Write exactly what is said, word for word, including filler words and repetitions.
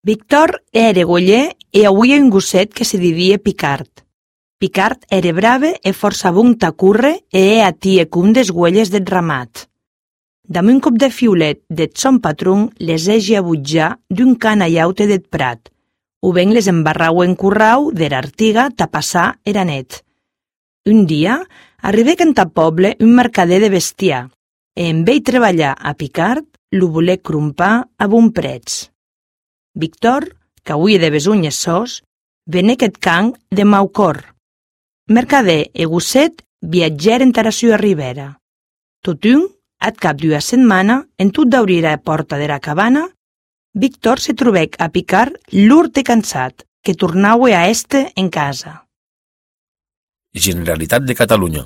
Victor era goller e auia un gosset que se didie Picard. Picard era brave e força bon ta curre e e atie cum des güelles deth ramat. Damb un cop de fiulet deth son patron les hegi a butjar d'un can aiaute deth prat, o ben les embarrau en currau der artiga ta passar era net. Un dia arribèc entà poble un mercader de bestiar e en vei treballar a Picard lo volec crompar a bon prètz. Victor, qu'auie de besunhes sòs, venec eth can de mau cor. Mercader e gosset viatgèren tara sua ribera. Totun, at cap d'ua setmana, en tot d'aurir a porta dera cabana, Victor se trobèc a Picard lurt e cansat, que tornaue a èster en casa. Generalitat de Catalunya.